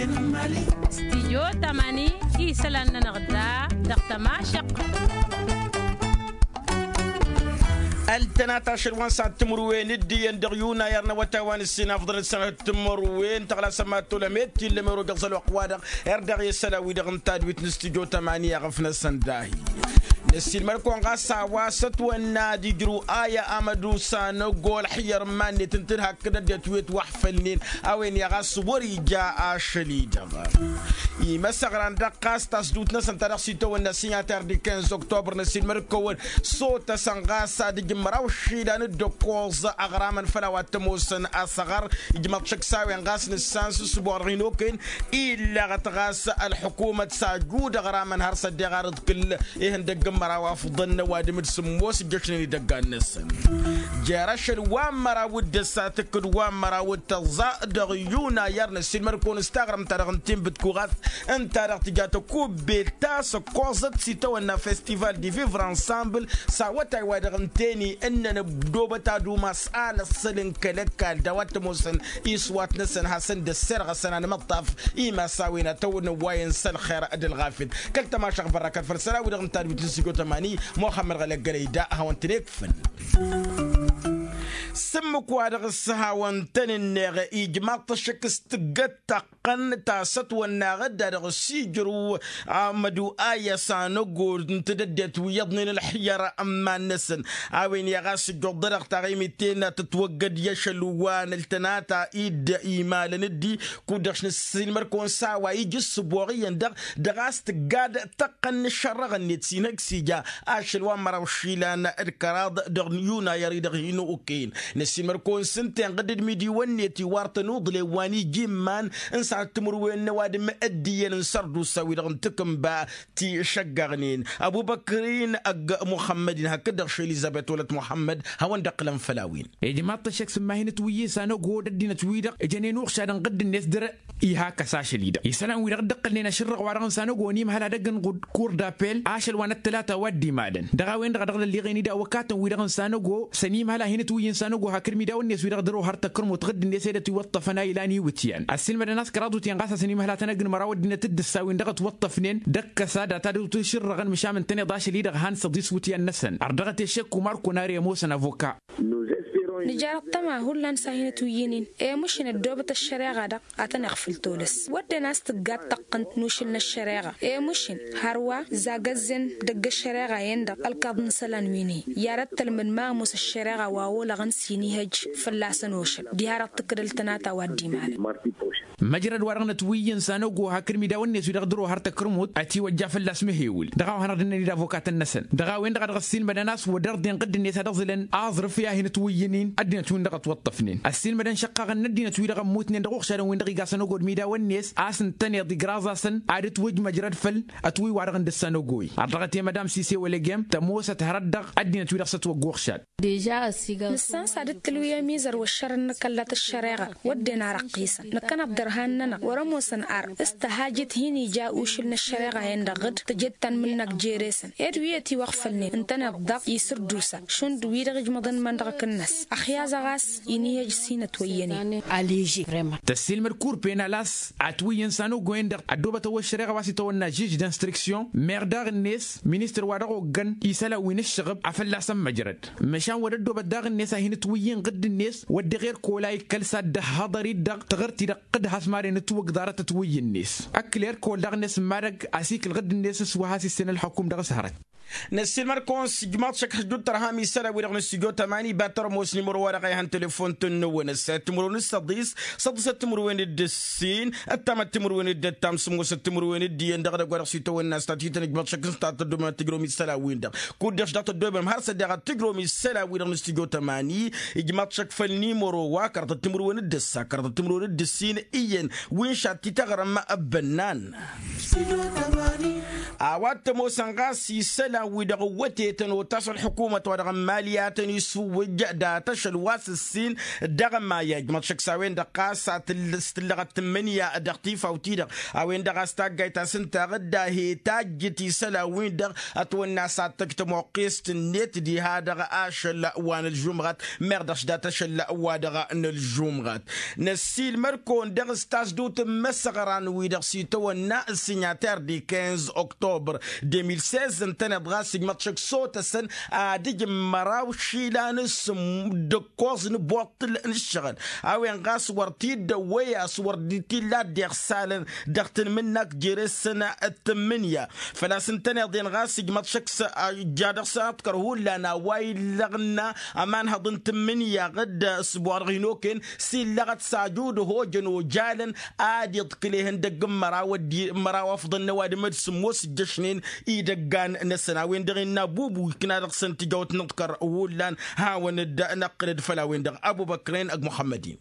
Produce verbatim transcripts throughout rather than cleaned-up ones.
Stijyo tamani isălan-nănăɣ da dăɣ-tămašăq. Ăltănat ašăl wa n-săhat timǝrwen d-iyyăn dăɣ-yunay ar n-awătay wa n-ǝssin afḍăn d-sănăt timǝrwen tăɣlasăm ad-tolăm i-tillăm erogăẓăl wăqq-wa-dăɣ. Erdăɣ i-isălan-wi-dăɣ n-tadwit n-stijyo tamani aɣăf-năsăn dahi. Năssiilmăd-kăwăn ɣas a-wa s-ătwănna ad-ijrǝw aya amădu s-anăgol ălxǝyyăr n-iman-net ǝntǝn hakd ăddinăt wi ătwăḥfălnen a-wen i-ɣas wăr-ija ašăl-i-dăɣ. Imăsăɣran dăɣ-ɣas tasdut-năsăn ta dăɣ-s itawănna signataire du quinze octobre năssiilmăd-kăwăn sotăsăn ɣas ad-ǝjǝn măraw išilan d-ǝkkoẓ aɣramăn făll-a-wa t-ămoosăn asăɣăr. Ijmăḍ šăkk s-a-wen ɣas nǝssan s-ǝssǝboɣ dăɣ-hin-okăyăn illăɣăt ɣas ălḥukumăt s-ajud aɣramăn har s-ăddeɣ arǝḍkǝl ihăndăgg n-măraw afḍăn n-ăwadǝm d-sǝmmos ǝjjăšnen idăggan-năsăn. Jer-ašăl wa n-măraw d-ǝssa tǝkkǝd wa n-măraw d-tăẓẓa dăɣ-yuna i-ar năssiilmăd-kăwăn s-taɣrǝmt-ta-dăɣ n-tinbǝtkuɣat ǝnta-dăɣ tǝja tăkubbelt ta s-ǝkkoẓăt s-itawănna festival de vivre ensemble. S-awătay-wa-dăɣ ǝnta-en-i ǝnnăn ăddobăt ad-umas alăssăl n-kăl-ăkall d-a-wa t-ămoosăn iswat-năsăn hasăn-dd-ăsserɣăsăn anmăṭṭaf. Imass a-wen ad-tăwănăwwayăn s-ălxer d-ălɣafyăt kăl-tămašăɣ bărrăkăt făll-isălan-wi-dăɣ n-tadwit n-sijot ămani. Muxămmăd ɣălăggălăy da hawăn-tăn-ekfăn. S-ǝmmǝk-wa-dăɣ s-hawăn-tăn-ǝnneɣ ijmaḍ-t ăššăk s-tǝggăt taqqăn ta s-ătwănnaɣ dd-a-dăɣ s-ijrǝw amădu ayăs anăgor n-tedăddet wi iyyăḍnen ălxǝyyăr n-iman-năsăn. A-wen i-ɣas ǝjjuḍ-dăɣ taɣimit-en a tǝtwăggăd i-ašăl wa n-ăltănata-i-dd imalăn dd-i kud-dăɣ š-nǝssilmăd-kăwăn s-a-wa ija ǝssǝboɣ iyyăn-dăɣ dăɣ-a-s tǝggad tăqqăn n-ǝššărrăɣ-net s-inhăj s-ija ašăl wa n-măraw išilan d-kăraḍ dăɣ-yunayăr-i-dăɣ hin-okăyăn. Năssiilmăd-kăwăn s-ǝnta-en ɣǝdd d-imidiwăn-net iwar tănuḍlen wa n-ija imman n-săhat timǝrwen n-ăwadǝm d-iyyăn n-sărdusa-wi-dăɣ n-takǝnba ti šăggăɣnen ăbubăkr-in ăgg muxămmăd-in hakd-dăɣ š-elizăbet wălăt muxămmăd. Hawăn-dd-ăqqǝlăn făll-a-wen. Ijmaḍ-t ăššăk s-ǝmmahinăt wi-i s-anăgo d-ăddinăt-wi-dăɣ ǝjănen uɣšad ǝnɣǝdd-net dăr-e. Iha kăs ašăl-i-dăɣ isălan-wi-dăɣ dd-ăqqǝlnen ašǝrrăɣ wa dăɣ-n s-anăgo n-imhăl ad-ăgg n-kur d-apel ašăl wa n-ăttălata wa dd-imalăn dăɣ-a-wen-dăɣ a dăɣ-lălliɣen-dd awăkatăn-wi-dăɣ n-s-anăgo. S-ănimhăl a hin-ătwǝyyǝn s-anăgo hakd imidawăn-net wi-dăɣ dăr-ohăr tăkrămut ɣǝdd-net i-dăt-iwăṭṭăfăn a ilan iwǝtyan ăssiilmădăn a-s kăraḍutyan ɣas a-s ănimhăl a tăn-ăgg n-măraw ăddinăt dd-ǝssa-win-dăɣ ătwăṭṭăfnen d-ǝkkăs ad-ad-tadǝwt išǝrrăɣăn măšan ǝntăneḍ ašăl-i-dăɣ han săḍis iwǝtyan-năsăn ărdăɣăt i-aššek umar kunari ămoosăn avoka. Nǝjar ăṭṭăma hullan s-a hin-ătwǝyyǝn-in. Emušǝn ăddoobăt ăššăreɣa-dăɣ ad-tăn-iɣfǝl tolăs wădden a-s tǝgga d-taqqǝnt n-ušǝl n-ăššăreɣa. Emušǝn hărwa zagăzzăn dăgg-ăššăreɣa-en-dăɣ ălkaḍ n-isălan wi n-hi. I-ad-ăttălmǝd ma ămoos ăššăreɣa wa olăɣăn s-inihăj fălla-săn ošăl diha-dăɣ tǝkkǝd ăltănata wa dd-imalăn. Măjrăd wa dăɣ-nătwǝyyǝn s-anăgo hakd imidawăn-net wi dăɣ-dăr-ohăr tăkrǝmut ătiwăjja fălla-s măhewǝl dăɣ-a-wa hanăɣ-dd-ǝnnăn-dd avokat-năsăn dăɣ-a-wen-dăɣ a dăɣ-ăssiilmădăn a-s wăr dăr-dd-inɣǝdd-net a dăɣ-zǝlăn aẓrǝf i-ad-hin-ătwǝyyǝn-in ăddinăt-win-dăɣ ătwăṭṭăfnen ăssiilmădăn šăqqaɣăn n-ăddinăt-wi-dăɣ ămmutnen dăɣ-uɣšadăn-win-dăɣ iga s-anăgo d-imidawăn-net a-s ǝntăneḍ igraẓ-asăn ad-ǝtwǝj măjrăd făll-ătwǝy wa-dăɣ n-dăr-s anăgo-i. Ărdăɣăt i-madam sise wălăgem tămoosăt hărăt dăɣ-ăddinăt-wi-dăɣ s-ătwăgg uɣšad. Nǝssan s-ad-dd-tǝlwǝy ămizăr wăr šărăn n-akăllat ăššăreɣa wădden ar ăqqisăn năkkăneḍ dăr-han-nănăɣ wăr ămoosăn ar s-tăhajăt hin-ija ušǝl n-ăššăreɣa-en-dăɣ dd-tăjed tanmǝnnakt jere-săn ed wi ătiwăɣfălnen ǝntăneḍ daɣ isǝrdusa šund wi-dăɣ ijmăḍăn iman-dăɣ akǝnnas ăxyaẓ-ăɣ a-s inihăj s-hin-ătwăyyănen. Tăssiilmăd kur penal a-s atwǝyyǝn s-anăgo-en-dăɣ ăddoobăt ăwwăl ăššăreɣa wa s-itawănna žij d-instruksyon meɣ daɣ-net ministăr wa dăɣ-oggăn isălan wi n-ǝššăɣǝb a fălla-săn măjrăd. Măšan wăr ăddoobăt daɣ-net a hin-ǝtwǝyyǝn ɣǝdd-net wăr dăɣ-erk ola ikkăl s-ad-dd-ăhhăḍăr-dd dăɣ-taɣǝrt-i-dăɣ d-has-maren ǝtwǝgg ḍarăt ătwǝyyǝn-net. Ǝkkǝl erk ol daɣ-net n-madăgg asikǝl ɣǝdd-net s-wa has-issen ălxukum dăɣ-s hărăt. Năssiilmăd-kăwăn s-ijmaḍ šăkk hăždud tărha mi isălan-wi-dăɣ n-ǝssǝjo tămani iba tărămos n-imărwa-dăɣ a ihăn telefon-tăn-năwăn ăssayăt timǝrwen d-săḍis săḍisăt timǝrwen d-ǝssin ăttamăt timǝrwen d-ăttam sǝmmosăt timǝrwen d-iyyăn dăɣ-edăgg wa dăɣ-s itawănna s-tatităn ijmaḍ šăkk s-ta tăddomem ad-tǝjrǝwăm isălan-win-dăɣ kud-dăɣ-š daɣ tăddomem har s-ăddeɣ ad-tǝjrǝwăm isălan-wi-dăɣ n-ǝssǝjo tămani. Ijmaḍ šăkk făll-nimăro wa kărăḍăt timǝrwen d-ǝssa kărăḍăt timǝrwen d-ǝssin iyyăn wi n-šat tităɣrăm ăbbănnan. A-wa t-ămoosăn ɣas isălan wi-dăɣ ǝwwătetăn otas ălḥukumăt wa dăɣ-n mali a tăn-isǝwwǝjj dat-ašăl wa s-ǝssin dăɣ-mayaj măḍšăk s-a-wen-dăɣ ɣas a tǝll-s tǝllăɣăt tǝmmǝnǝya dăɣ-tifawt-i-dăɣ a-wen-dăɣ a-s taggayt a-s ǝnta a ɣǝdda he tajjǝt isălan-win-dăɣ ătwănna a-s ad-tăj tămoqqest-net diha dăɣ-ašăl wa n-ălžumɣăt meɣ dăɣ-s dat-ašăl wa dăɣ-nălžumɣăt. Năssiilmăd-kăwăn dăɣ-s tasdut n-imăsăɣran-wi-dăɣ s-itawănna s-signataire di quinze octobre deux mille seize ǝntăneḍ ɣas ǝjmăḍ šăkk sotăsăn ad-ǝjǝm măraw išilan s-ǝmmǝk d-ǝkkoẓ n-ibuṭṭǝl n-ǝššăɣǝl a-wen ɣas wăr t-dd-ăwwăy a-s wăr dd-t-illa dd-iɣsalăn dăɣ-tǝnmǝnnak jere-săn d-tǝmmǝnǝya. Făl-a-s ǝntăneḍ-en ɣas ǝjmăḍ šăkk s-ǝjja dăɣ-săn ăḍkăr hullan a-wa illăɣna ămanhăḍ n-tǝmmǝnǝya ɣǝd s-ǝbwăɣ dăɣ-hin-okăyăn s-illăɣăt s-ajud ăhojăn ojalăn ad-iḍkǝl ihăndăgg n-măraw ăddi măraw afḍăn n-ăwadǝm d-sǝmmos ǝjjăšnen idăggan-năsăn a-wen-dăɣ innă bubu ikna dăɣ-săn tijawt n-aḍkăr hullan hawăn-dd-năqqǝlăd făll-a-wen-dăɣ ăbubăkren ăgg muḥămmăd-in.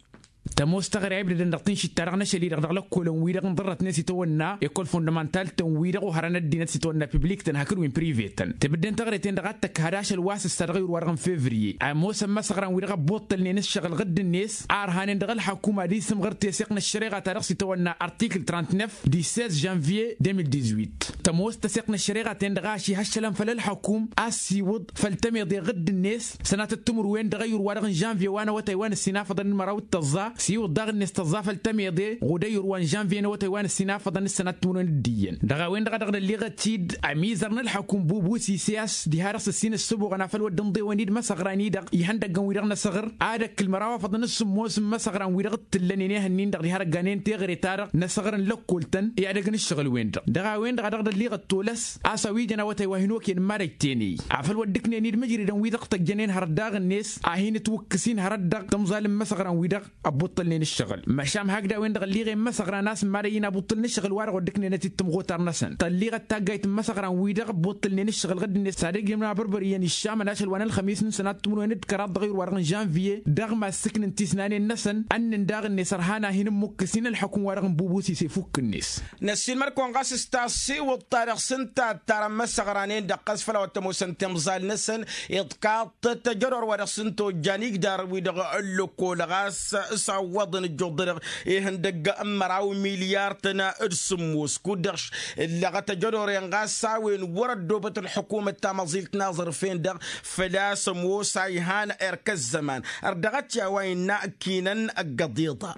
Tămoos taɣre a ibdădăn dăɣ-tinšit-ta-dăɣ n-ašăl-i-dăɣ dăɣ-lăkkolăn-wi-dăɣ n-ḍărrătnen s-itawănna ekol fondămantal-tăn-wi-dăɣ oharăn ăddinăt s-itawănna piblik-tăn hakd wi n-prive-tăn tǝbǝdden taɣre-ten-dăɣ a t-tăkk had ašăl wa s-ǝssa dăɣ-iwǝr-wa-dăɣ n-fevriye a ămoosăn imăsăɣran-wi-dăɣ ăbbuṭṭălnen ǝššăɣǝl ɣǝdd-net a ărhanen dăɣ-ălḥăkkum ad-isǝmɣăr teseɣt n-ăššăreɣa-ta-dăɣ s-itawănna artikl trăntnef di seize janvier deux mille dix-huit. Tămoos tăseɣt n-ăššăreɣa-ten-dăɣ a ăšihăššălăn făll-ălḥăkkum a ăssiwǝḍ făll-tămeḍe ɣǝdd-net sănatăt timǝrwen dăɣ-ăyyur-wa-dăɣ n-žănvye wa n-awătay wa n-ǝssin afăḍăn n-măraw d-tăẓẓa s-iwǝḍ daɣ-net tăẓẓa făll-tămeḍe ɣud ăyyur wa n-žănvye n-awătay wa n-ǝssin afăḍăn s-sănatăt timǝrwen d-iyyăn dăɣ-a-wen-dăɣ a dăɣ-nălliɣăt-dd ămizăr n-ălḥăkkum bubu s-isiyas diha-dăɣ s-ǝssin ǝssǝbuɣăn afăl wăr dd-ǝnḍewăn-dd imăsăɣran-i-dăɣ ihăndăggăn-wi-dăɣ n-asăɣăr ad-ăkkǝl măraw afăḍăn s-sǝmmos n-imăsăɣran-wi-dăɣ t-tǝllănen ihănnin-dăɣ diha răgganen teɣăre-ta-dăɣ n-asăɣăr n-lăkkol-tăn i-ad-ăgg n-ǝššăɣǝl-wen-dăɣ dăɣ-a-wen-dăɣ a dăɣ-dălliɣăt tolăs a-s a-wi jăn awătay wa hin-okăyăn n-marăjten-i afăl wăr dd-ǝknen-dd mǝjridăn-wi-dăɣ tăjjănen hărăt daɣ-net a hin-ǝtwǝkkǝs-in hărăt dăɣ-tămẓal n-imăsăɣran-wi-dăɣ ăbbuṭṭălnen ǝššăɣǝl măšan hakd a-wen-dăɣ ălliɣen imăsăɣran a-s n-marăy-in abuṭṭǝl n-ǝššăɣǝl-wa-dăɣ wăr dd-ǝknenăt-dd tămɣutar-năsăn tălliɣăt taggayt n-imăsăɣran-wi-dăɣ ăbbuṭṭǝlnen ǝššăɣǝl ɣǝdd-net s-ad-ǝjrǝmna bărbăr iyyăn iššamăn ašăl wa n-ălxămis n-sănat timǝrwen d-kăraḍ dăɣ-iwǝr-wa-dăɣ n-žănviye dăɣ-ma ǝssǝknǝn tisnanen-năsăn ănnǝn daɣ-net ărhan a hin-ǝmmukkǝs-in ălḥăkum-wa-dăɣ n-bubu s-isefukk-net. Năssiilmăd-kăwăn ɣas s-tassiwǝḍt-ta-dăɣ s-ǝnta a ǝttarăn imăsăɣran-en-dăɣ ɣas făll-a-wa t-ămoosăn timẓal-năsăn iḍkaḍ-tăt tăjădor wa dăɣ-s ǝnta ojjan igdar-wi-dăɣ ǝllǝkol ɣas s-awwăḍăn ǝjjuḍ-dăɣ ihăndăgg n-măraw milyar-tăn d-sǝmmos kud-dăɣ ǝllăɣăt ăjădor-en ɣas s-a-wen wăr-ăddoobăt ălḥukumăt tamăẓilt n-aẓrǝf-en-dăɣ făl-a-s ămoos a ihan erk ăzzăman ărdăɣăt i-a-wa innă ăkkinăn ăggăḍ iḍa.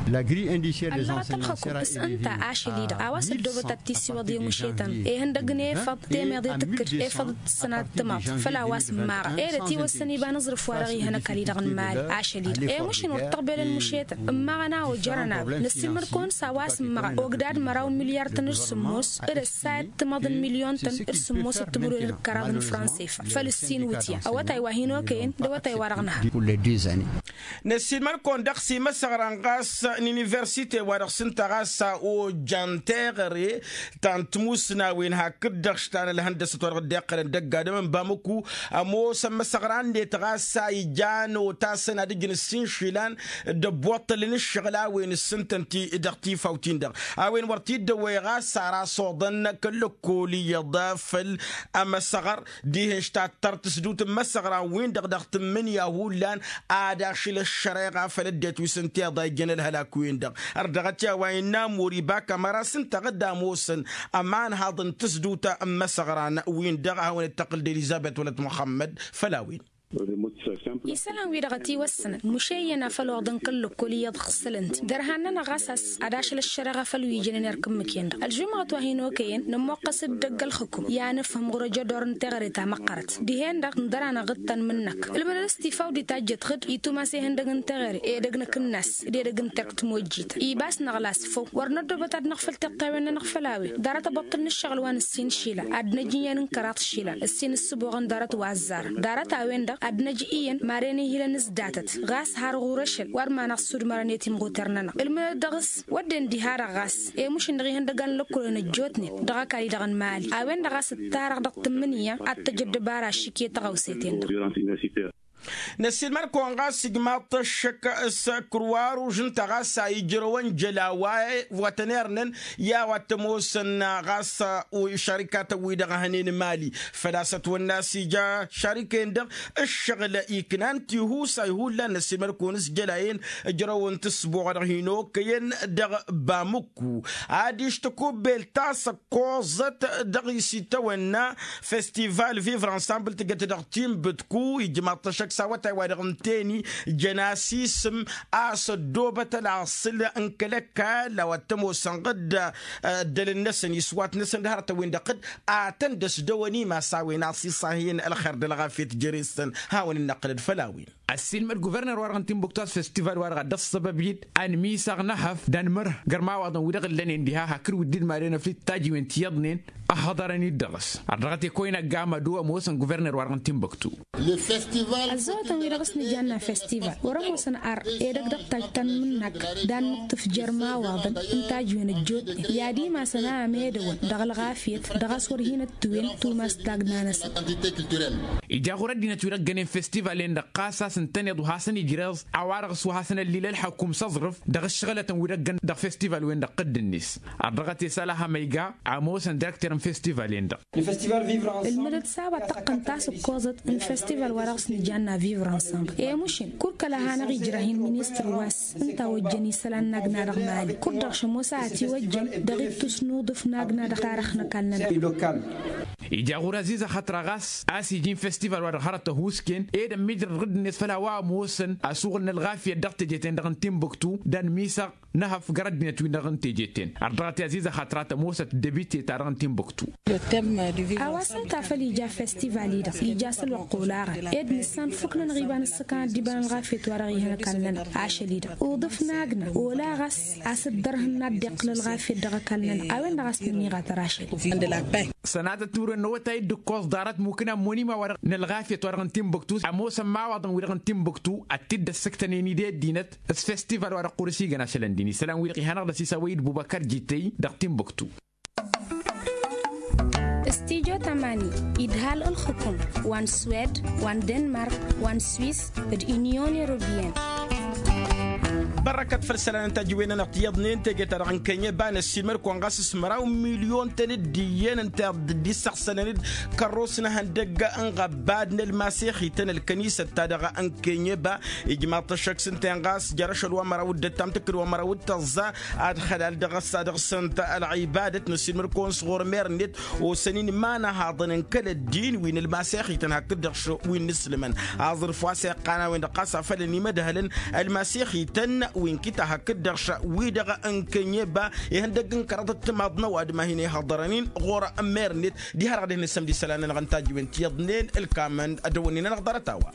Ăllăɣăt ălxăkum s-ǝnta ašăl-i-dăɣ a-wa s-ăddoobăt ad-t-issiwăḍ i-mušetăn ihăndăgg n-efăḍ temeḍe tǝkkǝd efăḍ d-sănat timaḍt făl-a-wa s-ǝmmaɣăn ed ătiwăssăn iba n-aẓrǝf-wa-dăɣ ihăn ăkall-i-dăɣ n-imali ašăl-i-dăɣ i-mušǝn wăr t-tăɣbelăn mušetăn ǝmmaɣăn a ojărăn a-wen năssiilmăd-kăwăn s-a-wa s-ǝmmaɣăn ogdad măraw n-milyar-tăn d-sǝmmos d-ăssayăt timaḍ n-milyon-tăn d-sǝmmos d-timǝrwen d-kăraḍ n-fransa ifa făll-ǝssin wǝtyan awătay wa hin-okăyăn d-awătay wa dăɣ-nǝha. Năssiilmăd-kăwăn dăɣ-s imăsăɣran ɣas n-universite wa dăɣ-s ǝnta ɣas a ojjan teɣăre ta n-timusnawen hakd-dăɣ š-ta n-ălhăndăsăt wa dăɣ-dd-iqqălăn dăgg-adǝm n-bamăku ămoosăn imăsăɣran-net ɣas a ijan otasăn ad-ǝjǝn ǝssin išilan d-ăbbuṭṭălăn ǝššăɣǝl a-wen ǝssǝntăn-t-i dăɣ-tifawt-in-dăɣ a-wen wăr t-dd-ăwwăy ɣas ar asoḍăn kăl-lăkkol iyyăḍ făll-ămăsăɣăr dihen š-tattăr tǝsdut n-imăsăɣran-win-dăɣ dăɣ-tǝmmǝnǝya hullan ad-ašǝl ăššăreɣa făll-ăddinăt wi s-ǝnta iḍa ijjăn ălhălak-win-dăɣ ărdăɣăt i-a-wa innă amur iba kămăra s-ǝnta ɣǝdda ămoosăn ămanhaḍ n-tǝsdut n-imăsăɣran win-dăɣ a hawăn-dd-tăqqǝl d-elizăbet wălăt muxămmăd făll-a-wen. Isălan-wi-dăɣ ătiwăssănăn muše iyyăn afăl oḍăn kăl-lăkkol iyyăḍ ɣǝssălăn-t dărhan-nănăɣ ɣas a-s ad-ašăl ăššăreɣa făll-wi ijănen erk ǝmmǝk-en-dăɣ ălžumăɣăt wa hin-okăyăn nămmoqqăs-dd dăgg-ălxǝkum i-ad-nǝfhǝm ɣur-ăjădor n-teɣăre ta măqqărăt dihen-dăɣ ǝndăr-anăɣ d-tanmǝn-năk ǝlmǝnăd a-s tifawdit a ǝjjăt ɣǝd itumase ihăndăg n-teɣăre edăgg n-akǝnnas d-edăgg n-terk timojjităn ibas năɣlas făw wăr năddoobăt ad-năɣfăl tiṭṭawen-nănăɣ făll-a-wen ḍarăt abăṭṭǝl n-ǝššăɣǝl wa n-ǝssin išilan ad-năj iyyăn n-kăraḍ išilan ǝssin ǝssǝboɣăn ḍarăt wa ăzzarăn ḍarăt-a-wen-dăɣ ad-năj iyyăn maren ihilăn s-datăt ɣas har ɣur-ašăl wăr manăɣ-sudmărăn i-timɣuter-nănăɣ ǝlmǝnăd dăɣ-s wădden diha-dăɣ ɣas i-mušǝn dăɣ-ihăndăgan n-lăkkolăn ăjjootnen dăɣ-ăkall-i-dăɣ n-mali a-wen-dăɣ a-s ǝttarăɣ dăɣ-tǝmmǝnǝya ad-tăj ăddăbara ašik i-tăɣawse-ten-dăɣ. Năssiilmăd-kăwăn ɣas ijmaḍ-t ăššăk s-kruwaruž ǝnta ɣas a ijrăwăn jăla wa tăn-irnăn i-a-wa t-ămoosăn ɣas šarikatăn-wi-dăɣ hănen mali. Făl-a-s ătwănna a-s ija šarikăyăn-dăɣ ǝššăɣǝl iknan tihusa i-hullan năssiilmăd-kăwăn s-jăla-en ǝjrăwăn-t s-buɣa dăɣ-hi n-okăyăn dăɣ-bamukku. Adiš tăkubbelt ta s-ăkkoẓăt dăɣ-isitawănna festival vivre ensemble tǝjăt dăɣ-timbǝtku ijmaḍ-t ăššăk s-awătay wa dăɣ-ǝnteni jăn-as isǝm a-s ăddoobăt ălaṣǝl n-kăl-ăkall a-wa t-ămoosăn ɣǝd ăddălăn-năsăn iswat-năsăn d-hărătăn-win-dăɣ ɣǝd. Atăn-dd-ăsdăwăn imas a-wen a-s isahăyăn ălxer d-ălɣafyăt jere-săn. Hawăn-in-năqqǝlăd făll-a-wen. Ăssiilmăd guverner-wa-dăɣ n-timbuktu a-s festival-wa-dăɣ a dd-ăṣṣăbăb-dd anǝmisăɣ n-ehăf d-anmărh gărmawaḍăn wi-dăɣ ǝllănen diha hakd wi dd-idmadăn ăflid tajǝwen ti iyyăḍnen. Ăhhăḍărăn-dd dăɣ-s ărdăɣăt i-koyna gamădo ămoosăn guverner-wa-dăɣ n-timbuktu. Ăzzăwătăn-wi-dăɣ s-nǝjanna festival wăr-ămoosăn ar edăgg dăɣ-tajj ta n-imǝnnakk d-ad-nǝṭṭǝf jărmawaḍăn n-tajǝwen ăjjootnen i-ad-imasăn a ămedăwăn dăɣ-ɣafyăt dăɣ-a-s wăr hin-ăttuwen tumas tagna-năsăn. Ija ɣur-ăddinăt wi-dăɣ ǝggănen festival-en-dăɣ ɣas a-s ǝntăneḍ wa hasăn-ijreẓ a-wa-dăɣ s-wa hasăn-ăllil ălḥăkum s-aẓrǝf dăɣ-ǝššăɣǝlătăn wi-dăɣ ǝggăn dăɣ-festival-wen-dăɣ ɣǝdd-net. Ărdăɣăt i-sălăha ma iga ămoosăn direkter n-festival-en-dăɣ. Ǝlmǝdăt s-a-wa tăqqăn tasǝkkoẓăt n-festival wa dăɣ-s nǝjanna vivre ensemble i-mušǝn kud-kăl-a hanăɣ-ijrăh-in ministăr wa s-ǝnta ojjăn isălan n-agna dăɣ-mali kud-dăɣ šămoos a ătiwăjjăn dăɣ-ittus n-uḍǝf n-agna dăɣ-tarăx n-ăkall-nănăɣ. Ija ɣur-aziz ăxătra ɣas a-s iji n-festival wa dăɣ-hărăt ăhuusken ed ămmiijrăd ɣǝdd-net făll-a-wa ămoosăn asuɣǝl n-ălɣafyăt dăɣ-teje-ten-dăɣ n-timbuktu d-anǝmisăɣ n-ehăf găr ăddinăt-win-dăɣ n-teje-ten. Ărdăɣăt i-aziz ăxătra tămoosăt debite-ta-dăɣ n-timbuktu. A-wa s-ǝnta a făl ija festival-i-dăɣ ija s-ălwăqq olaɣăn ed nǝssan fukk-nănăɣ iba n-ǝssǝkăn ad-dd-iba n-ălɣafyăt wa dăɣ-ihăn ăkall-nănăɣ ašăl-i-dăɣ uḍǝf n-agna olaɣ a-s ad-dd-ărhǝnna ad-dd-iqqǝl ălɣafyăt dăɣ-ăkall-nănăɣ a-wen-dăɣ a-s nǝnniɣ a tărašăl. Sănatăt timǝrwen n-awătay dd-ǝkkoẓ ḍarăt mukǝn ammănima wa dăɣ-nălɣafyăt wa dăɣ-n timbuktu ămoosăn imawaḍăn wi-dăɣ n-timbuktu ad-t-dd-ăssǝktănen i-dd ăddinăt s-festival wa dăɣ-qur s-igăn ašălăn din isălan-wi-dăɣ ihănăɣ-dăɣ s-isăwăy d-bubăkăr jităy dăɣ-timbuktu. Studyo tamani idhal ǝlxǝkum wa n-swed wa n-denmark wa n-swis d-unyon europeyăn. Bărrăkăt făll-isălan n-tajǝwen-nănăɣ tiyyăḍnen teje-ta-dăɣ n-kăyy n-eba năssiilmăd-kăwăn ɣas s-măraw milyon-tăn dd-iyyăn ǝnta dd-issăɣsălăn-dd kărros n-ehăndăgg n-iɣăbbad n-ălmasexităn ălkănisăt-ta-dăɣ n-kăyy n-eba. Ijmaḍ-t ăššăk s-ǝnta-en ɣas jer-ašăl wa măraw d-ăttam tǝkkǝd wa măraw d-tăẓẓa ad-xălal dăɣ-s ad-ǝɣsǝnt ălɣibadăt năssiilmăd-kăwăn s-ɣur-mer-net osăn-in imanăhaḍăn n-kăl-ăddin wi n-ălmasexităn hakd-dăɣ wi n-inǝslǝmăn. Aẓrǝf wa s-iqqan a-wen-dăɣ ɣas a făl ănimădhălăn ălmasexităn wi n-kita hakd-dăɣ wi-dăɣ n-kănyeba ihăndăgg n-kăraḍăt timaḍ n-ăwadǝm a hin-ihăḍărăn-in ɣur-mer-net. Diha-dăɣ ad-dd-nǝssăm d-isălan-nănăɣ n-tajǝwen ti iyyăḍnen ǝlkamăn ad-dăwănnen-anăɣ ḍarăt-a-wa.